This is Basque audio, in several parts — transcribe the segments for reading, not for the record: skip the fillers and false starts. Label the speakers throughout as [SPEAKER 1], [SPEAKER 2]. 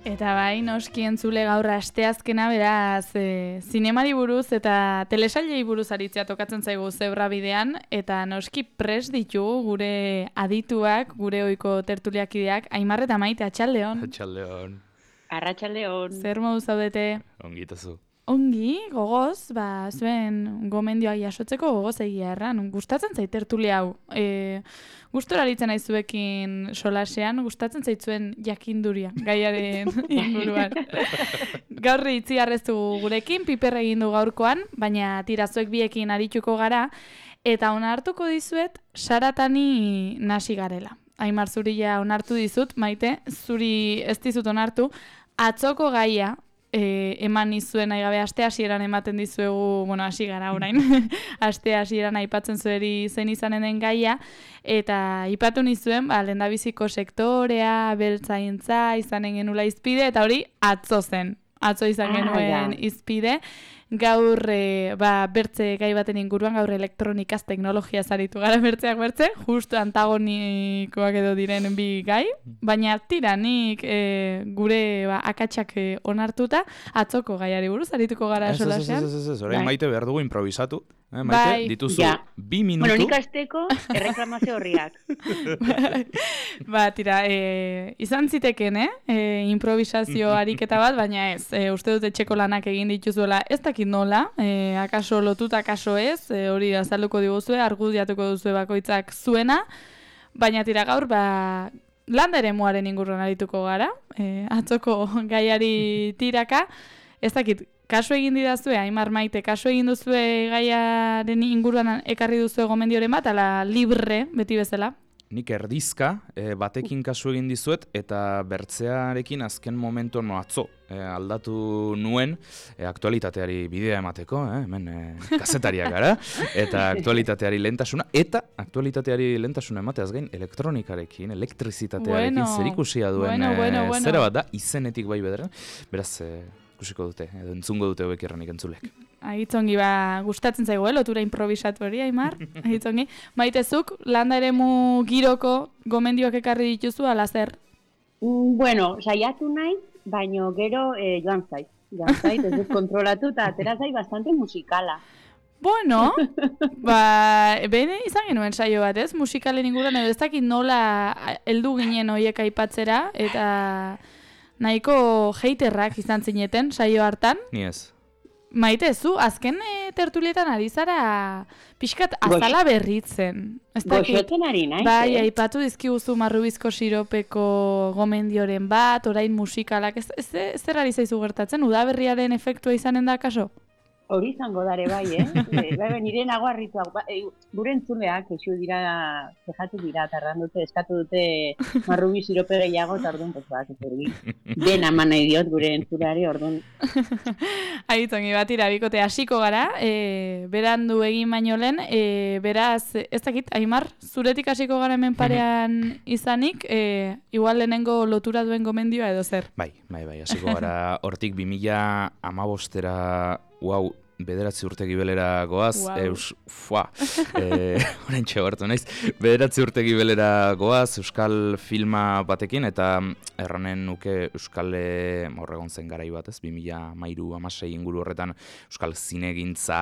[SPEAKER 1] Eta bai, noski entzule gaur asteazkena beraz, zinemari buruz eta telesailei buruz aritzea tokatzen zaigu Zebra bidean, eta noski prest ditugu gure adituak, gure ohiko tertuliakideak, Aimar eta Maite, atxaldeon.
[SPEAKER 2] Atxaldeon.
[SPEAKER 3] Arratsaldeon.
[SPEAKER 1] Zer modu zaudete?
[SPEAKER 2] Ongi itazu.
[SPEAKER 1] Ongi, gogoz, zuen gomendioak jasotzeko gogoz egia erran. Gustatzen zait tertulia hau. Gustora aritzen aizuekin solasean, gustatzen zaitzuen jakinduria, gaiaren inguruan. Gaur itzi arreztu gurekin, piper egin du gaurkoan, baina tirazuek biekin arituko gara, eta onartuko dizuet, saratani nasi garela. Aimar, zuri ja onartu dizut, Maite, zuri ez dizut onartu, atzoko gaia, eman nizuen nahi gabe aste hasieran ematen dizuegu, hasi gara orain, aste hasieran aipatzen zueri zen izanen den gaia, eta aipatu nizuen, lehendabiziko sektorea, beltzaintza, izanen genula izpide, eta hori atzo zen. Atzo izan genuen izpide, gaur bertze gai baten inguruan, gaur elektronikaz teknologia zaritu gara bertzeak bertze, justu antagonikoak edo diren bi gai, baina tira nik gure akatsak onartuta, atzoko gaiari buruz arituko gara solasean.
[SPEAKER 2] Ez, orain Maite behar dugu improvisatu. Maite, dituzu 2 minutu.
[SPEAKER 3] Bueno, nik azteko erreklamazio horriak.
[SPEAKER 1] Tira, izan ziteken, improvisazio ariketa bat, baina ez, uste dut etxeko lanak egin dituzuela, ez dakit nola, akaso lotuta, akaso ez, hori azalduko diguzue, argudiatuko duzue bakoitzak zuena, baina tira gaur, landa eremuaren inguruan arituko gara, atzoko gaiari tiraka, ez dakit, kasu egin didazue, Aimar, Maite, kasu egin duzue gaiaren inguruan ekarri duzue gomendioren bat, ala libre, beti bezala?
[SPEAKER 2] Nik erdizka batekin kasu egin dizuet, eta bertzearekin azken momentu atzo aldatu nuen aktualitateari bidea emateko, hemen kazetariak gara, eta aktualitateari lehentasuna, emateaz gain elektronikarekin, elektrizitatearekin zerikusia duen zera bat da, izenetik bai bederen, beraz ikusiko dute, edo entzungo dute hobek erranik entzulek.
[SPEAKER 1] Ahitzongi, gustatzen zaigu, lotura improvisatu hori, Aimar, ahitzongi. Maitezuk, landa eremu giroko gomendioak ekarri dituzu, ala zer?
[SPEAKER 3] Bueno, saiatu nahi, baino gero joan zait, ez dut kontrolatu, eta atera zait bastante musikala.
[SPEAKER 1] Bueno, bene izan genuen saio bat, ez? Musikalen inguruan, edo ez dakit nola heldu ginen horiek aipatzera, eta nahiko haterrak izan zineten saio hartan.
[SPEAKER 2] Ni ez.
[SPEAKER 1] Maite, zu, azken tertulietan ari zara pixkat azala berritzen.
[SPEAKER 3] Goxotzen ari nahi.
[SPEAKER 1] Bai, aipatu dizkiguzu marrubizko siropeko gomendioren bat, orain musikalak, zer ari zaizu gertatzen? Udaberriaren efektua izanen da, kaso?
[SPEAKER 3] Hori izango dare bai, nire nago harrituak, gure entzuleak, eixu dira, zehatu dira, tardan dute, eskatu dute marrubi sirope gehiago, eta orduan, den aman nahi diot gure entzuleari, orduan.
[SPEAKER 1] Aitongi batira, bikote hasiko gara, berandu egin baino lehen, beraz, ez dakit, Aimar, zuretik hasiko gara hemen parean izanik, igual lehenengo lotura duen gomendioa edo zer?
[SPEAKER 2] Bai, hasiko gara, hortik 2015-era, wow, 9 urte gibelera goaz, horrentxe hartu naiz, 9 urte gibelera goaz, euskal filma batekin, eta erranen nuke euskal horregon zen garai bat, 2013-16 inguru horretan, euskal zinegintza,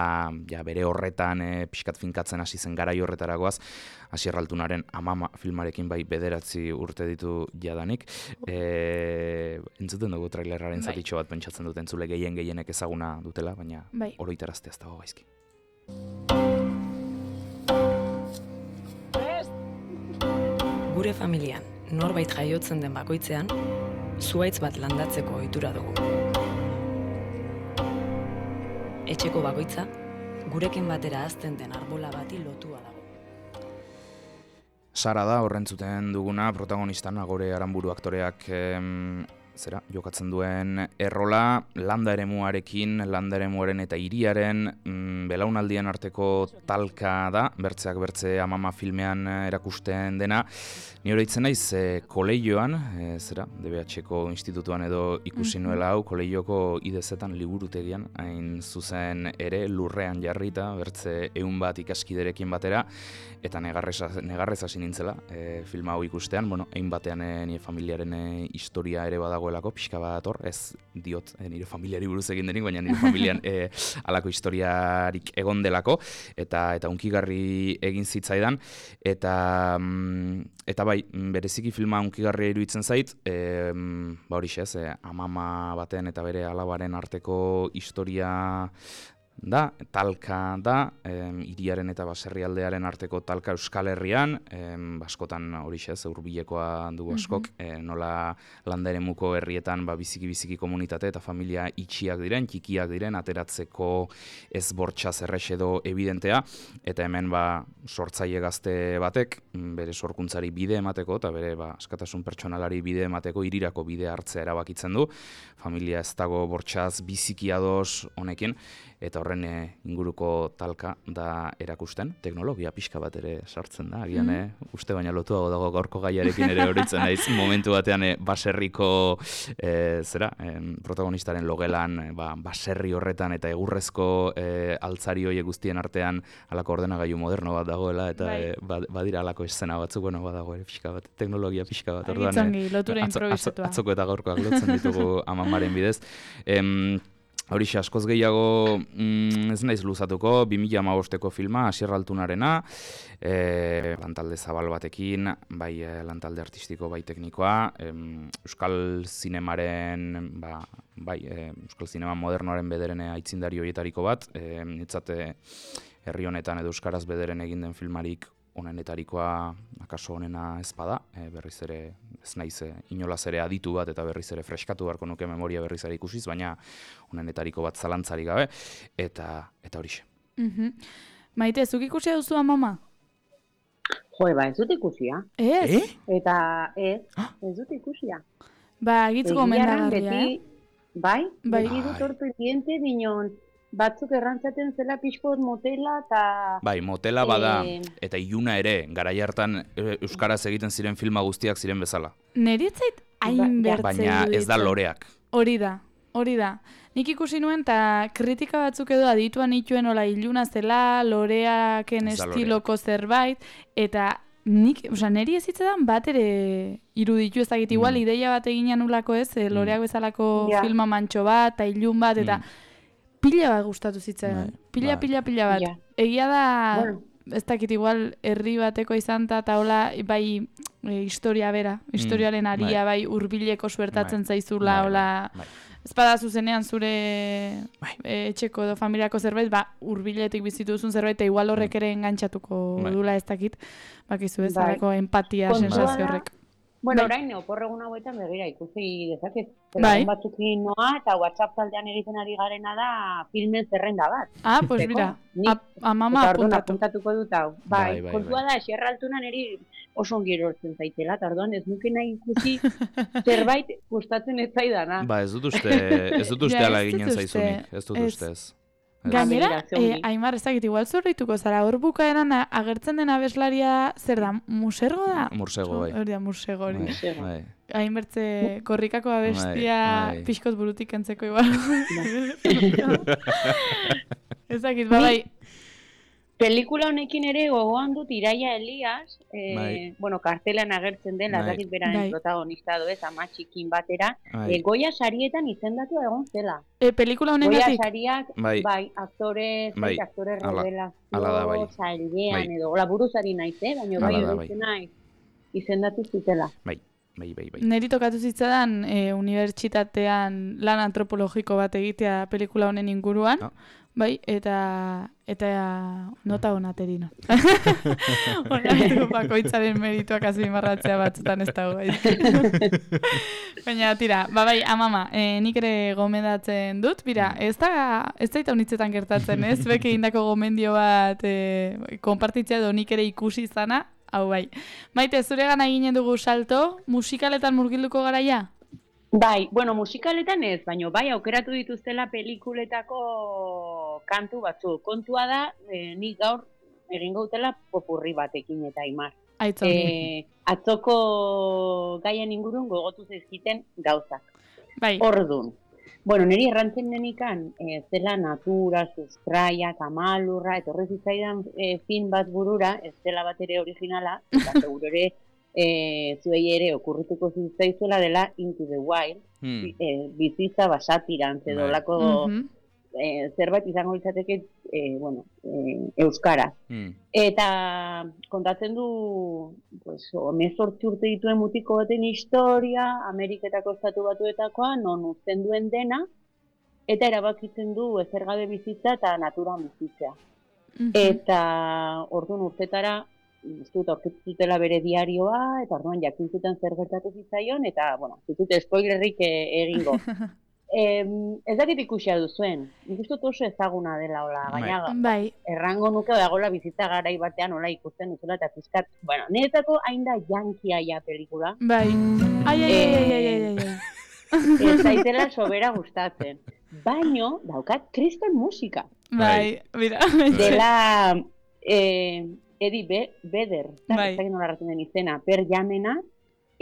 [SPEAKER 2] bere horretan, pixkat finkatzen hasi zen garai horretara goaz, Asier Altunaren Amama filmarekin bai 9 urte ditu jadanik. Entzuten dugu trailerraren zatitxo bat pentsatzen duten zule gehienek ezaguna dutela, baina oroitarazte ez dago gaizki.
[SPEAKER 4] Gure familian, norbait jaiotzen den bakoitzean, zuhaitz bat landatzeko ohitura dugu. Etxeko bakoitza, gurekin batera hazten den arbola bati lotua dago.
[SPEAKER 2] Sara da horrentzuten duguna, protagonista Nagore Aranburu aktoreak jokatzen duen errola, landa eremuarekin, landa eremuaren eta hiriaren belaunaldien arteko talka da, bertzeak bertze Amama filmean erakusten dena. Ni oroitzen naiz kolegioan, DBH-ko institutuan edo ikusi nuela hau, kolegioko IDZ-etan liburutegian, hain zuzen ere lurrean jarrita, bertze 100 bat ikaskiderekin batera, eta negarrez hasi nintzela film hau ikustean, hain batean nire familiaren historia ere badago dagoelako, pixka bat hor, ez diot nire familiari buruz egin denik, baina nire familian halako historiarik egon delako, eta hunkigarri egin zitzaidan, eta bai, bereziki filma hunkigarria iruditzen zait, ba horixe ez, amama baten eta bere alabaren arteko historia da, talka da, hiriaren eta baserrialdearen arteko talka Euskal Herrian, askotan horixe ez, hurbilekoa dugu askok, nola landa eremuko herrietan biziki komunitate eta familia itxiak diren, txikiak diren, ateratzeko ez bortxaz errex edo evidentea, eta hemen sortzaile gazte batek, bere sorkuntzari bide emateko, eta bere askatasun pertsonalari bide emateko, hirirako bide hartzea erabakitzen du, familia ez dago bortxaz biziki ados honekin, eta horren inguruko talka da erakusten, teknologia pixka bat ere sartzen da, agian uste baina lotuago dago gaurko gaiarekin ere horitzen naiz, momentu batean baserriko protagonistaren logelan, baserri horretan eta egurrezko altzari horiek guztien artean halako ordenagailu moderno bat dagoela, eta badira halako eszena batzuk, badago ere pixka bat, teknologia pixka bat, orduan atzoko eta gaurkoak lotzen ditugu amamaren bidez. Horixe, askoz gehiago ez naiz luzatuko, 2015ko filma, Asier Altunarena, lantalde zabal batekin, bai lantalde artistiko, bai teknikoa, Euskal Zinemaren, Euskal Zinema modernoaren bederen aitzindari horietariko bat, nitzate herri honetan edo Euskaraz bederen egin den filmarik onenetarikoa akaso onena ezpada, berriz ere ez naiz inolaz ere aditu bat eta berriz ere freskatu beharko nuke memoria berriz ere ikusiz, baina onenetariko bat zalantzarik gabe, eta horixe.
[SPEAKER 1] Maite, zuk ikusia duzu amama?
[SPEAKER 3] Jo, ez dut ikusia.
[SPEAKER 1] Ez?
[SPEAKER 3] Eta ez dut ikusia.
[SPEAKER 1] Gitz gomendagarria,
[SPEAKER 3] beti dut hortu diente dinon, batzuk errantzaten zela pixkot motela eta...
[SPEAKER 2] Bai, motela bada, eta iluna ere, garai hartan euskaraz egiten ziren filma guztiak ziren bezala.
[SPEAKER 1] Neri ez zait hain bertze
[SPEAKER 2] baina ez da loreak.
[SPEAKER 1] Hori da. Nik ikusi nuen, eta kritika batzuk edo adituan ituen ola iluna zela, loreaken estiloko zerbait, eta neri ez hitzetan bat ere iruditu ezagit, igual ideia bat egin anulako ez, loreak bezalako filma mantxo bat, eta ilun bat, eta... Pila bat gustatu zitzaidan. Pila bat. Egia da, ez dakit igual herri bateko izan eta hola, bai historia bera, historiaren aria, bai hurbileko suertatzen zaizula, hola, ez bada zuzenean zure etxeko edo familiako zerbait, hurbiletik bizitu duzun zerbait, eta igual horrek ere engantzatuko dula ez dakit, bakizu ez, empatia sensazio horrek.
[SPEAKER 3] Bueno, orain oporregun hauetan begira ikusi dezaket. Egun batzukin noa eta WhatsApp taldean egiten ari garena da filmen zerrenda bat.
[SPEAKER 1] Pues mira, amama apuntatu.
[SPEAKER 3] Apuntatuko dut hau. Kontua da, Asier Altuna niri oso ongi erortzen zaitela, eta orduan ez nuke nahi ikusi zerbait gustatzen ez zaidana.
[SPEAKER 2] Ez dut uste ala eginen zaizunik, ez dut ustez.
[SPEAKER 1] Gainera, Aimar, ezagit, igual zorrituko zara, hor bukaeran agertzen den abeslaria, zer da, musergo da?
[SPEAKER 2] Mursego, bai.
[SPEAKER 1] Hori da, mursego hori. Hainbertze korrikako abestia pixkot burutik entzeko igual. Ezagit, bai.
[SPEAKER 3] Pelikula honekin ere gogoan dut Iraia Elias, kartelan agertzen den, lazakit beraren protagonista doez, ama txikin batera, Goya sarietan izendatu egon zela.
[SPEAKER 1] Pelikula honengatik?
[SPEAKER 3] Goya sariak, aktore revelazio, zailean edo, buruzari naiz, baina bai naiz izendatu zitela.
[SPEAKER 2] Bai.
[SPEAKER 1] Neri tokatu zitzadan unibertsitatean lan antropologiko bat egitea pelikula honen inguruan, eta nota onaterino. Horretu bakoitzaren merituak azimarratzea batzutan ez dago. Baina, tira, amama, nik ere gomendatzen dut, ez daita honitzetan gertatzen, ez? Beke indako gomendio bat konpartitzea edo nik ere ikusi izana, hau bai. Maite, zure gana ginen dugu salto, musikaletan murgilduko garaia?
[SPEAKER 3] Musikaletan ez, baina aukeratu dituztela pelikuletako kantu batzu. Kontua da, nik gaur egingo dutela popurri batekin eta Aimar. Atzoko gaien ingurun gogotu zaizkiten gauzak. Ordun. Niri errantzen denikan, zela natura, sustraia, kamalurra, etorri zitzaidan film bat burura, ez zela bat ere originala, eta seguro ere zuei ere okurrituko zitzaizuela dela Into the Wild, bizitza basatirantz edo lako zerbait izango litzateke, euskara. Eta kontatzen du, pues, 18 urte dituen mutiko baten historia, Ameriketako Estatu Batuetakoa, non uzten duen dena, eta erabakitzen du ezer gabe bizitza eta naturan bizitzea. Eta orduan urtetara, aurkitzutela bere diarioa, eta orduan jakin zuten zer gertatu zitzaion, eta, zitut spoilerrik egingo. Ez dakit ikusia duzuen, nik uste oso ezaguna dela, hola, gaina errango nuke dagoela bizitza garai batean, hola, ikusten duzula, eta pizkat, niretzako hain da jankia ja pelikula.
[SPEAKER 1] Bai, ai.
[SPEAKER 3] Ez zaitela sobera gustatzen. Baino, daukat kriston musika.
[SPEAKER 1] Bai, mira.
[SPEAKER 3] Dela Eddie Vedder, ez dakit nola erraten den izena, Per Jamena,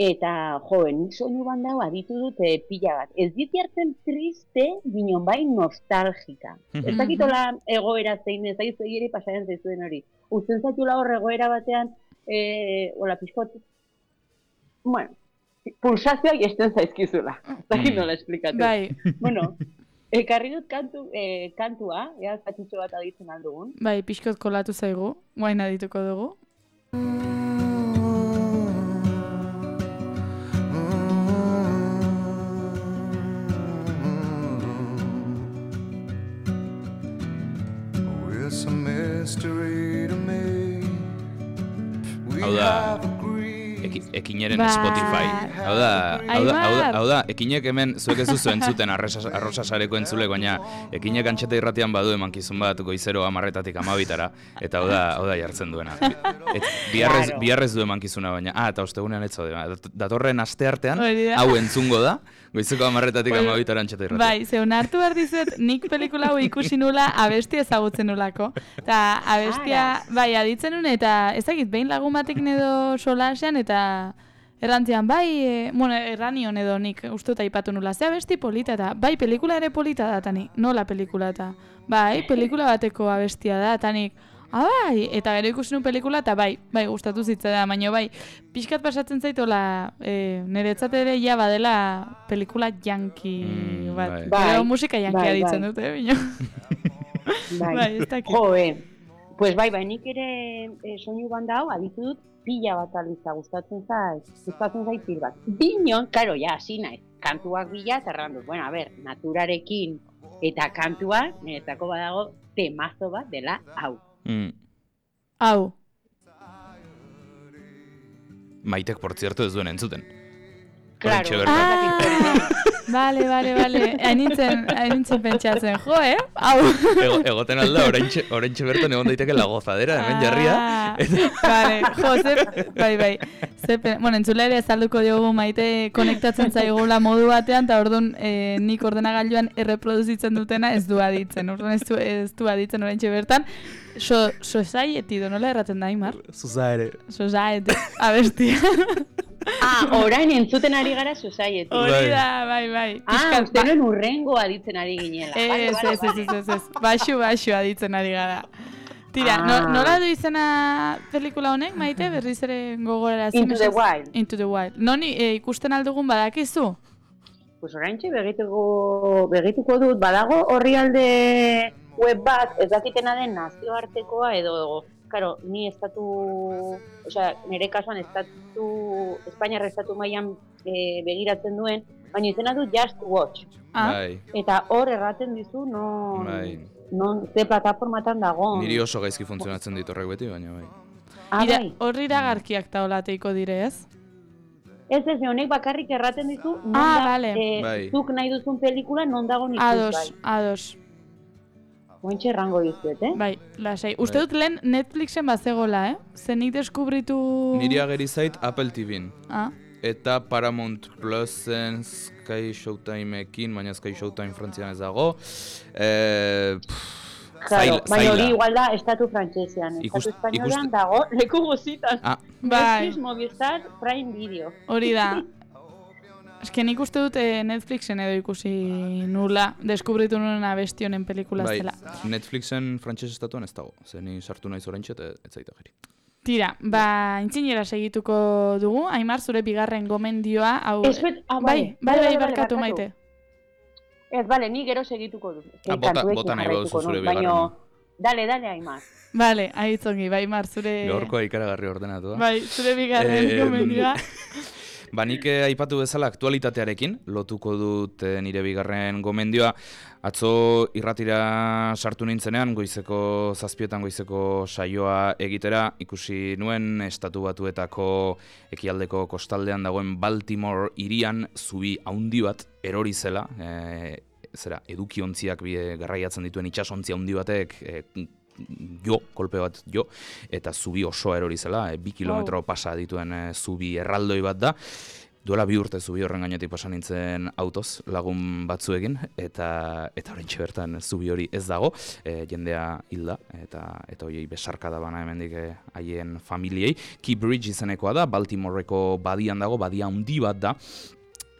[SPEAKER 3] eta, nik soinu bandau aditu dute pila bat. Ez diti hartzen triste, ginon bai nostalgika. Ez dakitola egoera zein, ez dakit ere pasaren zaizuen hori. Uzten zaitula hor egoera batean, hola, pixkot, pulsazioak esten zaizkizula. Ez dakit nola esplikatu.
[SPEAKER 1] Bai.
[SPEAKER 3] Ekarri dut kantua, zatxutxo bat aditzen aldugun.
[SPEAKER 1] Bai, pixkot kolatu zaigu, guain adituko dugu.
[SPEAKER 2] Hau da, ekineren Spotify. Hau da, ekinek hemen zuek ez duzu entzuten arrosa sareko entzule, baina ekinek antxeta irratian badu emankizun bat goizero 10:00 12:00, eta hau da jartzen duena. Biharrez du emankizuna, baina, eta ostegunean ez zaude, datorren asteartean, hau entzungo da, goizeko 10:00 12:00 antxeta irratian.
[SPEAKER 1] Bai, zeun hartu behar dizuet, nik pelikula hau ikusi nula abestia ezagutzen nulako. Eta abestia, bai, aditzen nuen, eta ezagit, behin lagun batekin edo solasean, eta errantzian, bai, erranion edo nik uste eta ipatu nula, ze abesti polita eta, bai, pelikula ere polita da, eta nik, nola pelikula eta, bai, pelikula bateko abestia da, eta nik, bai, eta gero ikusi nuen pelikula, eta bai, gustatu zitza da, baina bai, pixkat pasatzen zaitola, niretzat ere ja badela pelikula janki bat, gero musika jankia ditzen dute, bino. Bai, ez dakit.
[SPEAKER 3] Pues bai, nik ere soinu banda hau aditu dut pila bat aliza gustatzen zait pil bat. Binon, karo, ja, hasi naiz, kantuak bila eta errandut. Bueno, a ber, naturarekin eta kantuak, niretzako badago temazo bat dela hau.
[SPEAKER 1] Hau.
[SPEAKER 2] Maitek, por cierto, ez duen entzuten.
[SPEAKER 3] Claro.
[SPEAKER 1] Vale. Haintzen pentsatzen, jo, hau.
[SPEAKER 2] Egoten alda, oraintxe bertan egon daiteke la gozadera, hemen jarria.
[SPEAKER 1] Vale, jo, bai. Bueno, entzule ere azalduko diogu Maite konektatzen zaigula modu batean, eta orduan nik ordenagailuan erreproduzitzen dutena ez du aditzen. Orduan ez du aditzen oraintxe bertan. Society, nola erraten da, Imar? Society, abestia.
[SPEAKER 3] Orain entzuten ari gara Society.
[SPEAKER 1] Hori da, bai.
[SPEAKER 3] Uste nuen urrengo aditzen ari ginela.
[SPEAKER 1] Ez. Baxu aditzen ari gara. Tira, nola du izena pelikula honek, Maite, berriz ere gogorara zen? Into the Wild. Noni ikusten aldugun badakizu?
[SPEAKER 3] Pues oraintxe begituko dut, badago orrialde web bat, ez dakitena den nazioartekoa edo, karo, ni nire kasuan Espainiar estatu mailan begiratzen duen, baina izena du Just Watch. Eta hor erraten dizu, non ze plataformatan dago.
[SPEAKER 2] Niri oso gaizki funtzionatzen dit horrek beti, baina bai.
[SPEAKER 3] Bai.
[SPEAKER 1] Horri iragarkiak taolateiko dire, ez?
[SPEAKER 3] Ez, honek bakarrik erraten dizu, zuk nahi duzun pelikula non dago nik bai.
[SPEAKER 1] Ados.
[SPEAKER 3] Ointxe errango dizuet,
[SPEAKER 1] Bai, lasai. Uste dut lehen Netflixen bazegola, Zenik deskubritu...
[SPEAKER 2] Niri ageri zait Apple TVn. Eta Paramount Plusen Sky Showtimeekin, baina Sky Showtime frantzian ez dago.
[SPEAKER 3] Baina hori igual da estatu frantsesean. Estatu espainolean dago leku guzitan. Netflix, Movistar, Prime Video.
[SPEAKER 1] Hori da. Eske nik uste dut Netflixen edo ikusi nula, deskubritu nuen abesti pelikula zela.
[SPEAKER 2] Netflixen frantses estatuan ez dago, ze ni sartu naiz oraintxe ez zaita geri.
[SPEAKER 1] Tira, intzinera segituko dugu, Aimar, zure bigarren gomendioa, hau... Bai, barkatu Maite.
[SPEAKER 3] Ez, bale, ni gero segituko du.
[SPEAKER 2] Bota nahi baduzu zure bigarren.
[SPEAKER 3] Dale, Aimar.
[SPEAKER 1] Bale, aitzongi, Aimar, zure...
[SPEAKER 2] Gaurkoa ikaragarri ordenatu.
[SPEAKER 1] Bai, zure bigarren gomendioa.
[SPEAKER 2] Nik aipatu bezala aktualitatearekin, lotuko dut nire bigarren gomendioa. Atzo irratira sartu nintzenean, goizeko 7 goizeko saioa egitera, ikusi nuen Estatu Batuetako ekialdeko kostaldean dagoen Baltimore hirian zubi handi bat erori zela, edukiontziak garraiatzen dituen itsasontzi handi batek kolpe bat eta zubi oso erori zela, 2 kilometro pasa dituen zubi erraldoi bat da. Duela 2 urte zubi horren gainetik pasa nintzen autoz lagun batzuekin, eta oraintxe bertan zubi hori ez dago, jendea hilda, eta horiei besarkada bana hemendik haien familiei. Key Bridge izenekoa da, Baltimoreko badian dago, badia handi bat da,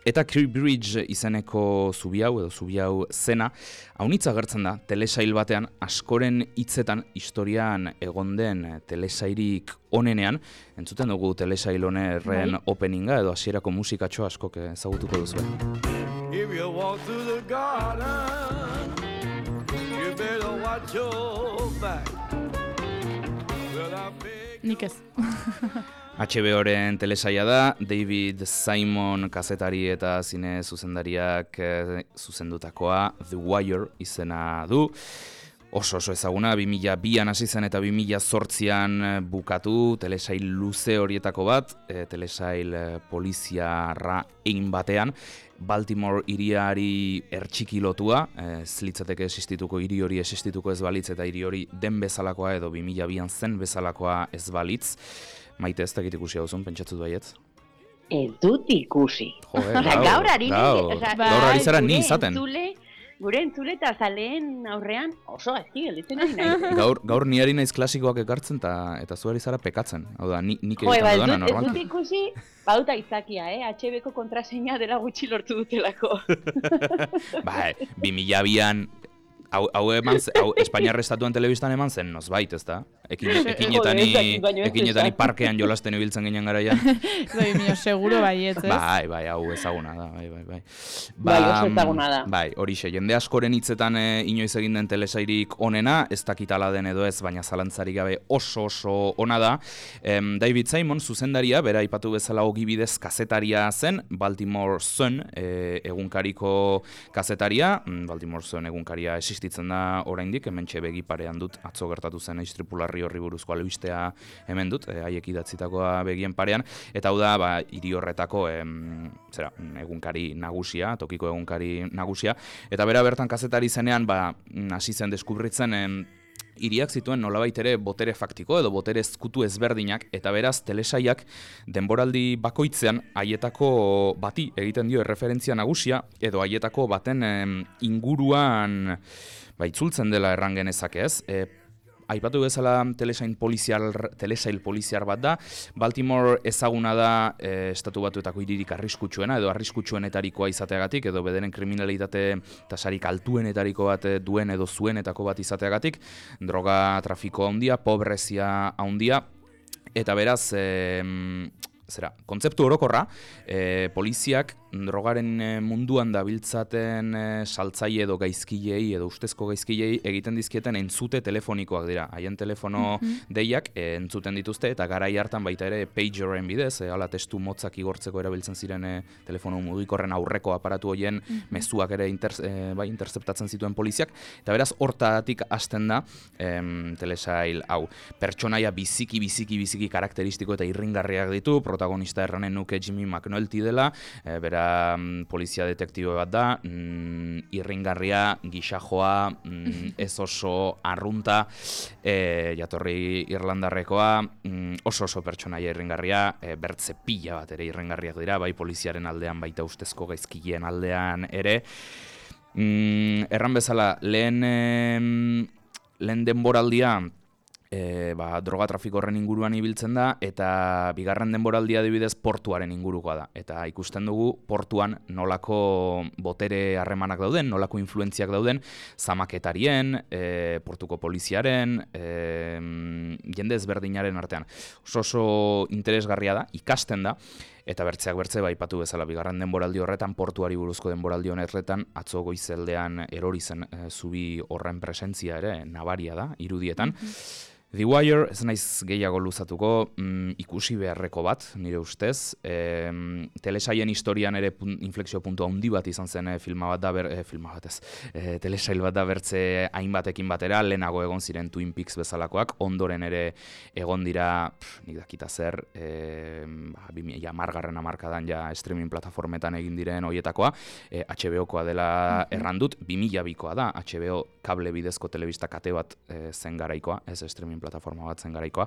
[SPEAKER 2] eta Key Bridge izeneko zubi hau zena, haunitza agertzen da, telesail batean, askoren hitzetan historian egon den telesairik onenean, entzuten dugu telesail honerren openinga, edo hasierako musikatxo askok ezagutuko duzu. If you walk through the garden, you better watch your back.
[SPEAKER 1] Nik ez.
[SPEAKER 2] HBO-ren telesaia da, David Simon kazetari eta zine zuzendariak zuzendutakoa, The Wire izena du. Oso ezaguna, 2002an hasi zen eta 2008an bukatu, telesail luze horietako bat, telesail poliziarra egin batean, Baltimore hiriari ertxikilotua, ez litzateke existituko hiri hori existituko ez balitz eta hiri hori den bezalakoa edo 2002an zen bezalakoa ez balitz. Maite, ez dakit ikusi hauzun, pentsatzu baietz?
[SPEAKER 3] Ez dut ikusi.
[SPEAKER 2] Gaur ari zara ni izaten.
[SPEAKER 3] Gure entzule eta zaleen aurrean oso ezki gelditzen ari nahi.
[SPEAKER 2] Gaur ni ari naiz klasikoak ekartzen eta zu ari zara pekatzen. Hau da, nik egiten dudana normal.
[SPEAKER 3] Ez dut ikusi, baduta izakia, HBko kontraseina dela gutxi lortu dutelako.
[SPEAKER 2] 2002an, hau Espainiar Estatuan telebistan eman zen, nozbait, ez da? Ekinetani parkean jolasten ibiltzen ginen garaian.
[SPEAKER 1] Seguro baietz, ez?
[SPEAKER 2] Bai, hau ezaguna da, bai.
[SPEAKER 3] Oso ezaguna da.
[SPEAKER 2] Bai, horixe, jende askoren hitzetan inoiz egin den telesairik onena, ez dakitala den edo ez, baina zalantzarik gabe oso ona da. David Simon, zuzendaria, bera aipatu bezala ogibidez kazetaria zen, Baltimore Sun egunkariko kazetaria, Baltimore Sun egunkaria existitzen da oraindik, hementxe begi parean dut, atzo gertatu zen istripularri horri buruzko albistea hemen dut, haiek idatzitakoa begien parean, eta hau da, hiri horretako egunkari nagusia, tokiko egunkari nagusia, eta bera bertan kazetari zenean, hasi zen deskubritzen, hiriak zituen nolabait ere botere faktiko edo botere ezkutu ezberdinak, eta beraz telesaiak denboraldi bakoitzean haietako bati egiten dio erreferentzia nagusia, edo haietako baten inguruan itzultzen dela erran genezake ez. Aipatu bezala telesail poliziar bat da. Baltimore ezaguna da Estatu Batuetako hiririk arriskutsuena edo arriskutsuenetarikoa izateagatik edo bederen kriminalitate tasarik altuenetariko bat duen edo zuenetako bat izateagatik, droga trafiko handia, pobrezia handia, eta beraz kontzeptu orokorra, poliziak drogaren munduan dabiltzaten saltzaile edo gaizkilei edo ustezko gaizkilei egiten dizkieten entzute telefonikoak dira. Haien telefono deiak entzuten dituzte eta garai hartan baita ere pageren bidez, hala testu motzak igortzeko erabiltzen ziren telefono mugikorren aurreko aparatu horien mezuak ere interceptatzen zituen poliziak, eta beraz hortatik hasten da telesail hau. Pertsonaia biziki karakteristiko eta irringarriak ditu, protagonista erranen nuke Jimmy McNulty dela, bera polizia detektibo bat da, irringarria, gixajoa, ez oso arrunta, jatorri irlandarrekoa, oso pertsonaia irringarria, bertze pila bat ere irringarriak dira, bai poliziaren aldean, baita ustezko gaizkileen aldean ere. Erran bezala, lehen denboraldia, droga trafiko horren inguruan ibiltzen da, eta bigarren denboraldia adibidez portuaren ingurukoa da. Eta ikusten dugu portuan nolako botere harremanak dauden, nolako influentziak dauden, zamaketarien, portuko poliziaren, jende ezberdinaren artean. Oso interesgarria da, ikasten da, eta bertzeak bertze aipatu bezala bigarren denboraldi horretan, portuari buruzko denboraldi honetan, atzo goizeldean erori zen zubi horren presentzia ere nabaria da, irudietan. The Wire, ez naiz gehiago luzatuko, ikusi beharreko bat, nire ustez. Telesaien historian ere inflexio puntu handi bat izan zen filma bat da, telesail bat da bertze hainbatekin batera, lehenago egon ziren Twin Peaks bezalakoak, ondoren ere egon dira, nik dakita zer, 2010 hamarkadan ja streaming plataformetan egin diren hoietakoa, HBO-koa dela errandut, 2002koa da, HBO kable bidezko telebista kate bat zen garaikoa, ez streaming plataforma bat zen garaikoa,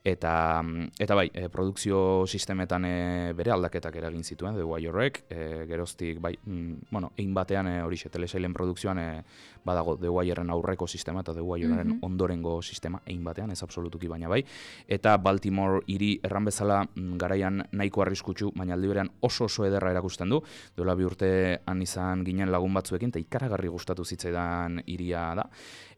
[SPEAKER 2] eta bai, produkzio sistemetan bere aldaketak eragin zituen, The Wire-ek, geroztik, bai, egin batean horixe telesailen produkzioan badago The Wire-en aurreko sistema eta The Wire-en ondorengo sistema, egin batean, ez absolutuki baina bai, eta Baltimore hiri erran bezala garaian nahiko arriskutsu, baina aldi berean oso ederra erakusten du, duela 2 urte han izan ginen lagun batzuekin, eta ikaragarri gustatu zitzaidan hiria da,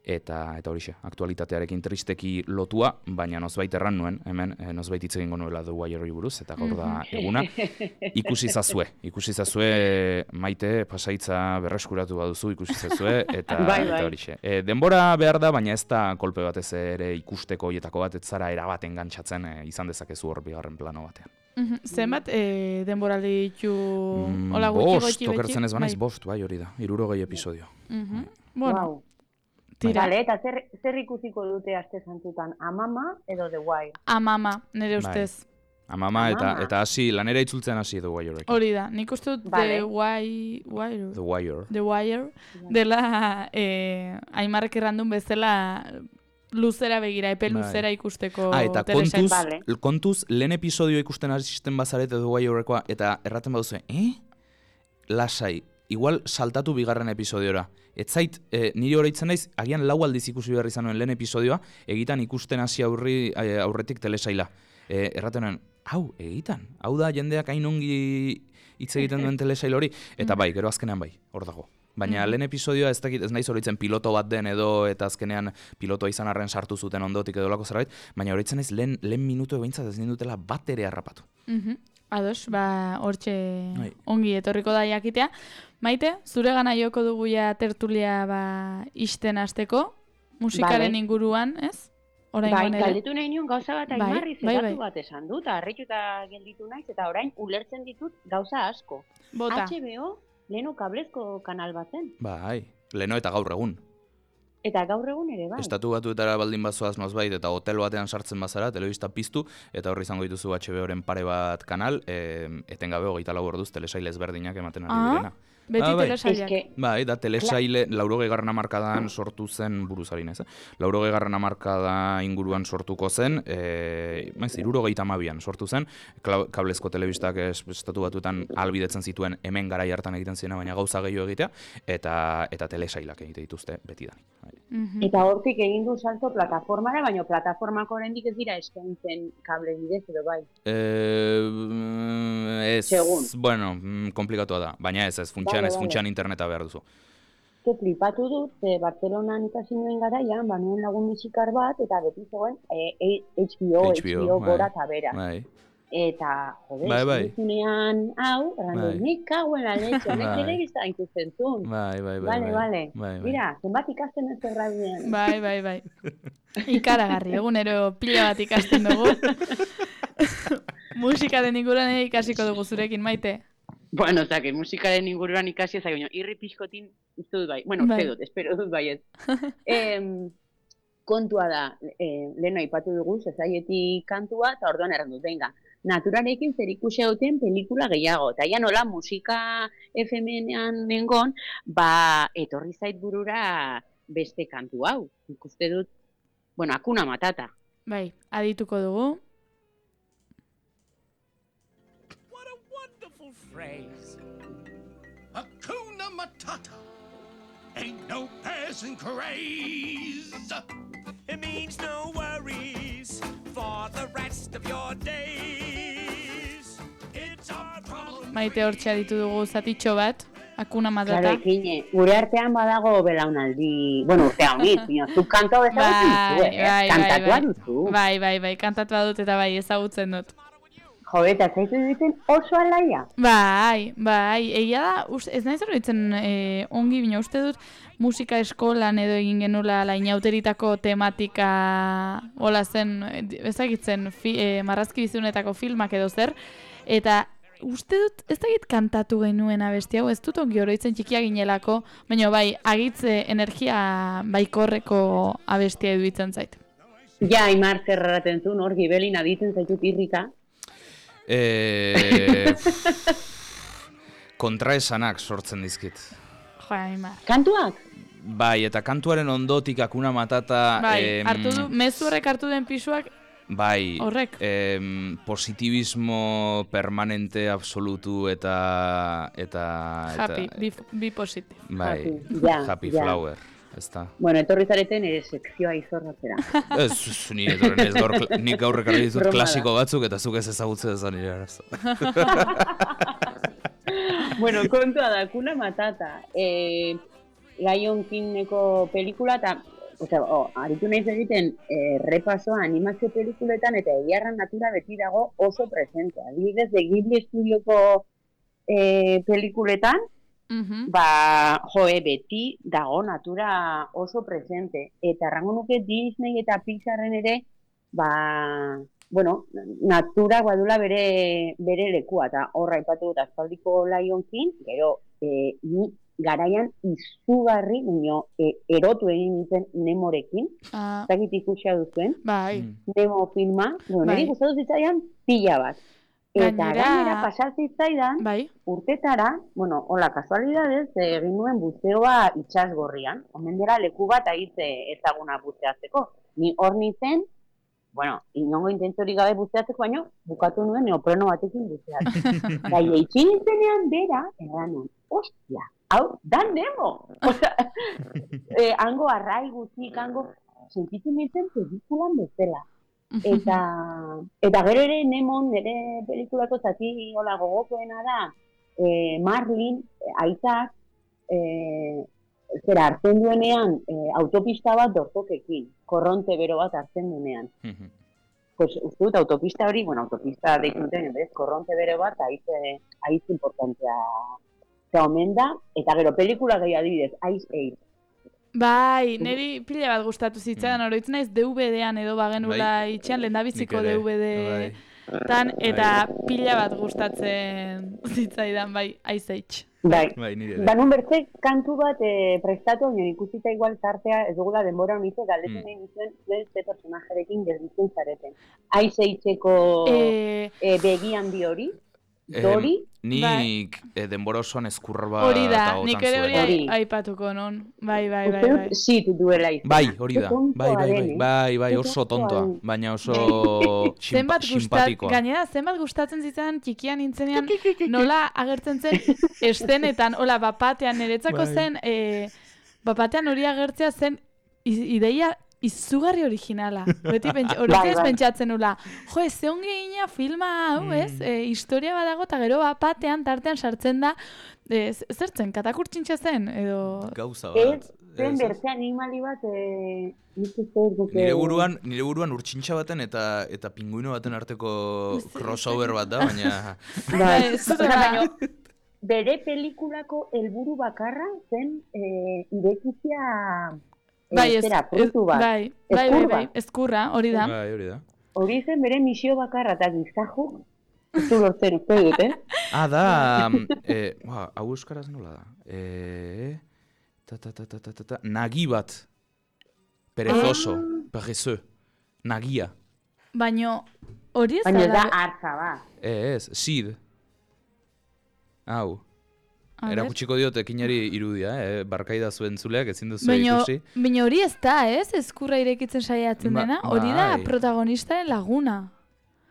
[SPEAKER 2] eta horixe, aktualitatearekin tristeki lotua, baina nozbait erran nuen, hemen nozbait hitz egingo nuela The Wire-ri buruz, eta gaur da eguna. Ikusi zazue, Maite, pasaitza berreskuratu baduzu, ikusi zazue, eta horixe. Denbora behar da, baina ez da kolpe batez ere ikusteko hoietako bat, ez zara erabaten gantzatzen izan dezakezu hor bigarren plano batean.
[SPEAKER 1] Zenbat denboraldi ditu hola
[SPEAKER 2] gutxi gotxi? Okertzen ez banaiz, 5, bai hori da, 60 episodio.
[SPEAKER 3] Bueno, Vale, eta zer ikusiko dute aste santutan, Amama edo The Wire?
[SPEAKER 1] Amama, nire ustez.
[SPEAKER 2] Amama eta hasi, lanera itzultzen hasi The Wire.
[SPEAKER 1] Hori da, nik uste dut The Wire dela Aimarrek errandun bezala luzera begira, epe luzera ikusteko telesail.
[SPEAKER 2] Eta kontuz, lehen episodio ikusten asisten bazarete The Wirekoa, eta erraten baduzu, lasai, igual saltatu bigarren episodiora. Ez zait, niri horreitzen naiz, agian 4 aldiz ikusi behar izan nuen lehen episodioa, egitan ikusten hasi aurretik telesaila. Erraten nuen, egitan, hau da jendeak hain ongi hitz egiten duen telesail hori, eta bai, gero azkenean bai, hor dago. Baina lehen episodioa ez naiz horreitzen piloto bat den edo, eta azkenean pilotoa izan arren sartu zuten ondotik edo lako zerbait, baina horreitzen naiz lehen minutu behintzat ez nindutela bat ere harrapatu.
[SPEAKER 1] Ados, hortxe ongi etorriko da jakitea. Maite, zure gana joko dugu ja tertulia isten hasteko, musikaren inguruan, ez?
[SPEAKER 3] Bai, galdetu nahi nion gauza bat Aimarri, zeratu bat esan dut, harrituta gelditu naiz, eta orain ulertzen ditut gauza asko.
[SPEAKER 1] Bota.
[SPEAKER 3] HBO, leheno kablezko kanal batzen.
[SPEAKER 2] Bai, leheno eta gaur egun.
[SPEAKER 3] Eta gaur egun ere bai.
[SPEAKER 2] Estatu batuetara baldin bazoaz nozbait, eta hotel batean sartzen bazara, telebista piztu, eta horri izango dituzu HBO-ren pare bat kanal, etengabe 24 orduz telesail ezberdinak ematen ari direna.
[SPEAKER 1] Beti telesailak.
[SPEAKER 2] Bai, da telesaile 80. hamarkadan sortu zen, buruzarin ez, 80. hamarkada inguruan sortuko zen, 72an sortu zen, kablezko telebistak estatu batuetan albidetzen zituen hemen garai hartan egiten ziena, baina gauza gehiago egitea, eta telesailak egite dituzte beti dani.
[SPEAKER 3] Eta hortik egin du salto plataformara, baina plataformako oraindik ez dira eskaintzen kable bidez edo bai?
[SPEAKER 2] Bueno, komplikatua da, baina ez funtsean interneta behar duzu.
[SPEAKER 3] Flipatu dut, Barcelonan ikasi nuen garaian, nuen lagun musikar bat, eta beti zegoen HBO gora eta bera. Eta, zunean, nik kauen la leche, nek telebista ikusten zuen. Bale. Mira, zenbat ikasten ez errabidean.
[SPEAKER 1] Bai. Ikaragarri, egunero pila bat ikasten dugu. Musikaren inguruan ikasiko dugu zurekin, Maite.
[SPEAKER 3] Bueno, que musikaren inguruan ikasi ezak, irri pixkotin uste dut bai. Bueno, espero dut bai ez. Kontua da, lehen aipatu dugu, Society kantua, eta orduan errandut, venga. Naturarekin zer ikusi duten pelikula gehiago. Eta ja nola musika FM-ean nengon, etorri zait burura beste kantu hau. Ikuste dut, bueno, Hakuna Matata.
[SPEAKER 1] Bai, adituko dugu.
[SPEAKER 5] What a wonderful phrase. Hakuna Matata. Ain't no passing craze. It means no worries for the rest of your days. It's our problem.
[SPEAKER 1] Maite hortxe aditu dugu zatitxo bat, Hakuna
[SPEAKER 3] Claro,
[SPEAKER 1] Matata.
[SPEAKER 3] ekine, gure artean badago belaunaldi, bueno, urte honit, zuk kantua ezagutzen duzu, kantatua duzu.
[SPEAKER 1] Bai, kantatua dut eta bai, ezagutzen dut.
[SPEAKER 3] Jo, eta zaitu duten oso alaia.
[SPEAKER 1] Bai, egia da, ez nahi zerbaitzen ongi bina, uste dut musika eskolan edo egin genula inauteritako tematika hola zen, ezagitzen marrazki bizunetako filmak edo zer, eta uste dut ez dakit kantatu genuen abesti hau, ez dut ongi oroitzen txikia ginelako, baina bai, agitze energia baikorreko abestia eduitzen zait.
[SPEAKER 3] Ja, Aimar zerraten zuen, hor gibelin aditzen zaitut irrika.
[SPEAKER 2] Kontraesanak sortzen dizkit.
[SPEAKER 1] Jo, Aimar.
[SPEAKER 3] Kantuak?
[SPEAKER 2] Bai, eta kantuaren ondotik Hakuna Matata...
[SPEAKER 1] Bai, hartu du, mezu horrek hartu den pisuak,
[SPEAKER 2] bai,
[SPEAKER 1] horrek.
[SPEAKER 2] Positibismo permanente absolutu eta
[SPEAKER 1] Happy, be positive.
[SPEAKER 2] bai,
[SPEAKER 3] Happy, ja.
[SPEAKER 2] Flower, ezta.
[SPEAKER 3] Bueno, etorri zareten ere sekzioa izorratzera.
[SPEAKER 2] Ez, ni etorren ez gaur, nik gaur ekarri ditut
[SPEAKER 3] Broma
[SPEAKER 2] klasiko batzuk eta zuk ez ezagutzen ez da nire arazo.
[SPEAKER 3] Bueno, kontua da, Hakuna Matata. Lion Kingeko pelikula eta aritu naiz egiten repasoa animazio pelikuletan eta egiarran natura beti dago oso presente. Adibidez, de Ghibli Studioko pelikuletan, beti dago natura oso presente. Eta errango nuke Disney eta Pixarren ere, natura badula bere lekua. Eta horra ipatu dut aspaldiko Lion King, gero ni garaian izugarri, erotu egin nintzen Nemorekin, zakit ikusia duzuen, Nemo filma, niri gustatu zitzaidan pila bat. Eta gainera pasazitzaidan, urtetara, hola, kasualidadez, egin nuen buzeoa itsasgorrian, omen dela leku bat ahitze ezaguna buzeatzeko. Ni hor nintzen, inongo intentziorik gabe buzeatzeko, baina bukatu nuen neopreno batekin buzeatzeko. Gai, eitxin nintzenean bera, eranon, ostia, hau, da Nemo! Hango arrai gutxik, sentitzen nintzen pelikulan bezala. Eta gero ere Nemon, nire pelikulako zati hola gogokoena da, Marlin, aitak, hartzen duenean autopista bat dortokekin, korronte bero bat hartzen duenean. Pues uste dut autopista hori, autopista deitzen duten, korronte bero bat, aiz importantea omen da, eta gero pelikula gehi adibidez, Ice Age.
[SPEAKER 1] Bai, niri pila bat gustatu zitzaidan, oroitzen naiz DVD-an edo bagenula itxean, lehendabiziko DVD-tan, eta pila bat gustatzen zitzaidan, bai, Ice Age.
[SPEAKER 3] Bai, nun bertzek kantu bat prestatu, ikusita igual tartea, ez dugula denbora honitze, galdetzen nahi nizuen, ze personajarekin gelditzen zareten. Ice Age-eko begi handi hori, Dori?
[SPEAKER 2] Nik denbora osoan eskurra bat
[SPEAKER 1] hori da, nik ere hori aipatuko non. Bai.
[SPEAKER 3] Zit duela izan.
[SPEAKER 2] Bai, hori da. Bai, oso tontoa, baina oso simpatikoa.
[SPEAKER 1] Gainera, zenbat gustatzen zitzan txikian nintzenean nola agertzen zen eszenetan, hola, bapatean, niretzako zen, bapatean hori agertzea zen ideia izugarri originala. Beti horitzen pentsatzen nula. Jo, ez ze ongi gina filma hau, ez? Historia badago eta gero batean, tartean sartzen da. Zertzen, katakurtxintxa zen?
[SPEAKER 2] Gauza bat.
[SPEAKER 3] Zen bertze animali bat...
[SPEAKER 2] Nire buruan urtsintxa baten eta pinguino baten arteko crossover bat da, baina...
[SPEAKER 3] Bere pelikulako helburu bakarra zen irekizia...
[SPEAKER 1] Bai, eskurra, hori da.
[SPEAKER 3] Hori zen bere misio bakarra, eta gizajo, ez du lortzen uste dut,
[SPEAKER 2] da, hau euskaraz nola da? Nagi bat. Perezoso, perezö, nagia.
[SPEAKER 1] Baina, hori ez da...
[SPEAKER 3] Baina da hartza, ba.
[SPEAKER 2] Ez, sid. Hau. Erakutsiko diot ekinari irudia, barkaida zuen zuleak, ezin duzu ikusi.
[SPEAKER 1] Baina hori ez da, ez? Eskurra irekitzen saiatzen dena. Hori da protagonistaren laguna.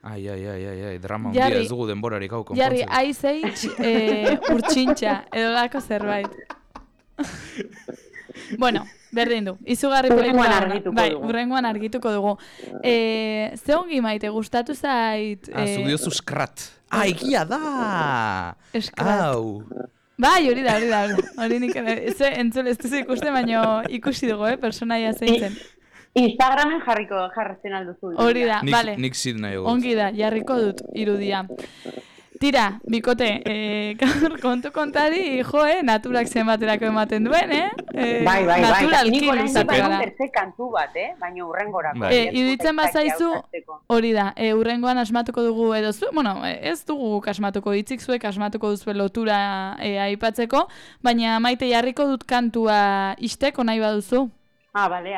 [SPEAKER 2] Ai, drama hundia ez dugu denborarik hau konpontzen.
[SPEAKER 1] Jarri, Ice Age urtsintxa, edo dako zerbait. Bueno, Berdin du, izugarri
[SPEAKER 3] Hurrengoan
[SPEAKER 1] pelikula ona.
[SPEAKER 3] argituko
[SPEAKER 1] Bai,
[SPEAKER 3] dugu.
[SPEAKER 1] hurrengoan argituko dugu. Ze ongi Maite, gustatu zait...
[SPEAKER 2] Zuk diozu skrat. Egia da!
[SPEAKER 1] Skrat.
[SPEAKER 2] Au!
[SPEAKER 1] Bai, hori da. Hori nik entzule ez duzu ikusten, baina ikusi dugu, personaia zein zen.
[SPEAKER 3] Instagramen jarratzen alduzu.
[SPEAKER 1] Hori da, bale.
[SPEAKER 2] Nik zid nahi dut.
[SPEAKER 1] Ongi da, jarriko dut irudia. Tira, bikote, gaur kontu kontari, naturak zenbaterako ematen duen,
[SPEAKER 3] Bai.
[SPEAKER 1] Naturalki
[SPEAKER 3] Nik orain
[SPEAKER 1] luzatu
[SPEAKER 3] bai
[SPEAKER 1] gara.
[SPEAKER 3] terze kantu bat, baina hurrengorako.
[SPEAKER 1] Iruditzen bazaizu, hori da, hurrengoan asmatuko dugu edo zu, bueno, ez dugu asmatuko, hitzik zuek asmatuko duzu lotura aipatzeko, baina Maite jarriko dut kantua isteko nahi baduzu.
[SPEAKER 3] Bale,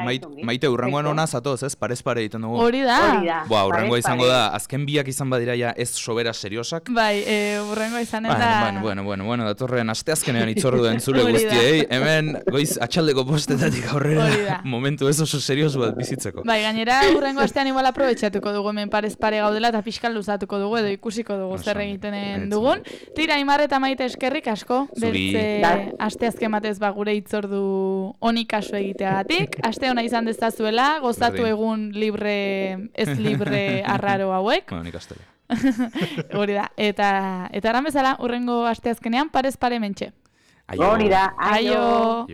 [SPEAKER 2] Maite, urrengoan ona zatoz, ez? Parez pare egiten dugu.
[SPEAKER 1] Hori da.
[SPEAKER 2] Urrengoa izango da, azken biak izan badira ja ez sobera seriosak.
[SPEAKER 1] Bai, urrengoa izanen da...
[SPEAKER 2] Bueno, datorren asteazkenean itzordu da entzule guztiei, hemen goiz atxaldeko postetatik aurrera momentu ez oso serios bat bizitzeko.
[SPEAKER 1] Bai, gainera urrengo astean igual aprobetxatuko dugu, hemen parez pare gaudela eta pixkal luzatuko dugu edo ikusiko dugu zer egiten dugun. Tira, Aimar eta Maite eskerrik asko, bertze asteazken batez gure itzordu honi kasu egiteagatik. Aste hona izan dezazuela, gozatu egun ez libre arraro hauek.
[SPEAKER 2] Bueno, nik astele.
[SPEAKER 1] Hori da, eta eran bezala, urrengo asteazkenean parez pare mentxe.
[SPEAKER 3] Hori da, aio.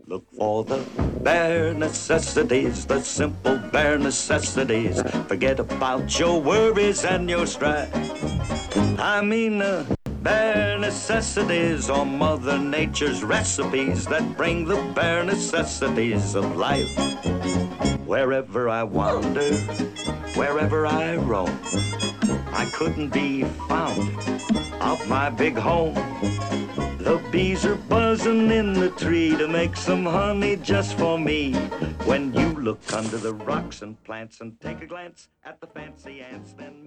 [SPEAKER 5] Look for the bare necessities, the simple bare necessities. Forget about your worries and your strife. I mean, bare necessities are Mother Nature's recipes that bring the bare necessities of life. Wherever I wander, wherever I roam, I couldn't be found of my big home. The bees are buzzing in the tree to make some honey just for me. When you look under the rocks and plants and take a glance at the fancy ants, then maybe